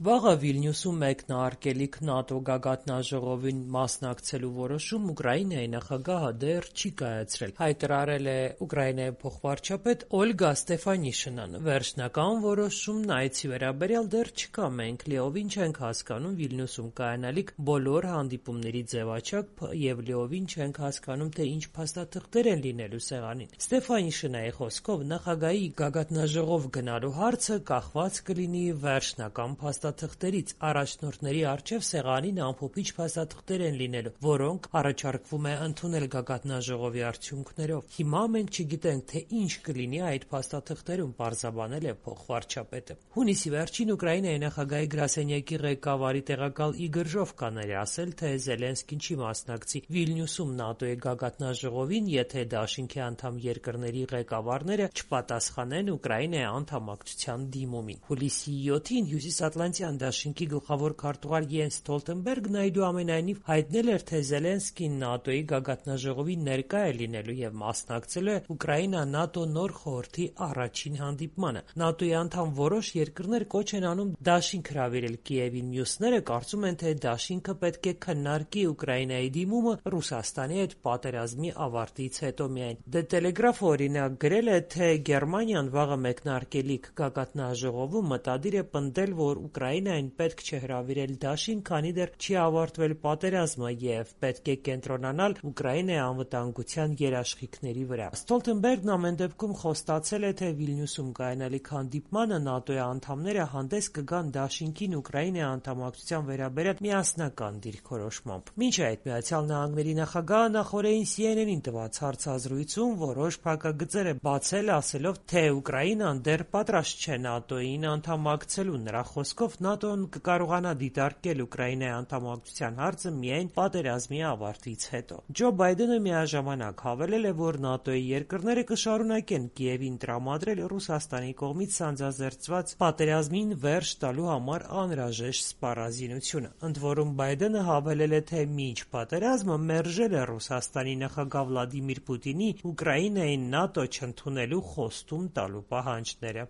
Վաղը Վիլնյուսում մեկնարկելիք ՆԱՏՕ գագաթնաժողովին մասնակցելու որոշում Ուկրաինայի նախագահը դեռ չի կայացրել, հայտարարել է Ուկրաինայի փոխվարչապետ Օլգա Ստեֆանիշինան: Վերջնական որոշումն այցի վերաբերյալ դեռ չկա: Մենք լիովին չենք հասկանում Վիլնյուսում կայանալիք բոլոր հանդիպումների ձևաչափը եւ լիովին չենք հասկանում, թե ինչ փաստաթղթեր են լինելու սեղանին: Ստեֆանիշինայի խոսքով, նախագահի գագաթնաժողով գնալու հարցը կախված կլինի վերջնական փաստաթղթերից: Առաջնորդների առջեւ սեղանին ամփոփիչ փաստաթղթեր են լինելու, որոնք առաջարկվում է ընդունել գագաթնաժողովի արդյունքներով: Հիմա մենք չգիտենք, թե ինչ կլինի այդ փաստաթղթերում, պարզաբանել է փոխվարչապետը: Հունիսի վերջին Ուկրաինայի նախագահի գրասենյակի ղեկավարի տեղակալ Իգոր Ժովկան էր ասել, թե Զելենսկին չի մասնակցի Վիլնյուսում ՆԱՏՕ-ի գագաթնաժողովին, եթե դաշինքի անդամ երկրների ղեկավարները չպատասխանեն Ուկրաինայի անդամակցության դիմումին: Հուլիսի 7-ին Հյուսիսատլանտյան դաշինքի գլխավոր քարտուղար Յենս Ստոլտենբերգն այնուամենայնիվ հայտնել էր, թե Զելենսկին ՆԱՏՕ-ի գագաթնաժողովին ներկա է լինելու եւ մասնակցելու է Ուկրաինա-ՆԱՏՕ նոր խորհրդի առաջին հանդիպմանը: ՆԱՏՕ-ի անդամ որոշ երկրներ կոչ են անում դաշինք հրավիրել Կիևին: Մյուսները կարծում են, թե դաշինքը պետք է քննարկի Ուկրաինայի դիմումը Ռուսաստանի հետ պատերազմի ավարտից հետո միայն: The Telegraph-ը օրինակ գրել է, թե Գերմանիան վաղը մեկնարկելիք գագաթնաժողովում մտադիր է պնդել, որ Ուկրաինային պետք չէ հրավիրել դաշինք, քանի դեռ չի ավարտվել պատերազմը եւ պետք է կենտրոնանալ Ուկրաինայի անվտանգության երաշխիքների վրա: Ստոլտենբերգն ամեն դեպքում խոստացել է, թե Վիլնյուսում կայանալիք հանդիպմանը ՆԱՏՕ-ի անդամները հանդես կգան դաշինքին Ուկրաինայի անդամակցության վերաբերյալ միասնական դիրքորոշմամբ: Մինչ այդ ԱՄՆ նախագահը նախօրեին CNN-ին տված հարցազրույցում որոշ փակագծեր է բացել, ասելով, թե Ուկրաինան դեռ պատրաստ չէ ՆԱՏՕ-ին անդամակցելու: Նրա խոսքով, ՆԱՏՕ-ն կկարողանա դիտարկել Ուկրաինայի անդամակցության հարցը միայն պատերազմի ավարտից հետո: Ջո Բայդենը միաժամանակ հավելել է, որ ՆԱՏՕ-ի երկրները կշարունակեն Կիևին տրամադրել Ռուսաստանի կողմից սանձազերծված պատերազմին վերջ տալու համար անհրաժեշտ սպառազինությունը: Ընդ որում, Բայդենը հավելել է, թե մինչ պատերազմը մերժել է Ռուսաստանի նախագահ Վլադիմիր Պուտինի Ուկրաինային ՆԱՏՕ չընդունելու խոստում տալու պահանջները: